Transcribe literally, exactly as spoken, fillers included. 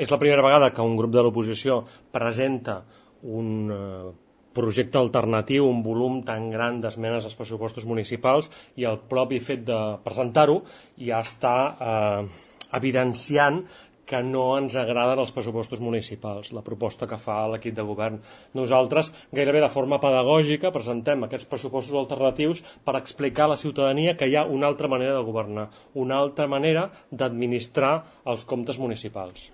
És la primera vegada que un grup de l'oposició presenta un projecte alternatiu, un volum tan gran d'esmenes als pressupostos municipals, i el propi fet de presentar-ho ja està eh, evidenciant que no ens agraden els pressupostos municipals, la proposta que fa l'equip de govern. Nosaltres, gairebé de forma pedagògica, presentem aquests pressupostos alternatius per explicar a la ciutadania que hi ha una altra manera de governar, una altra manera d'administrar els comptes municipals.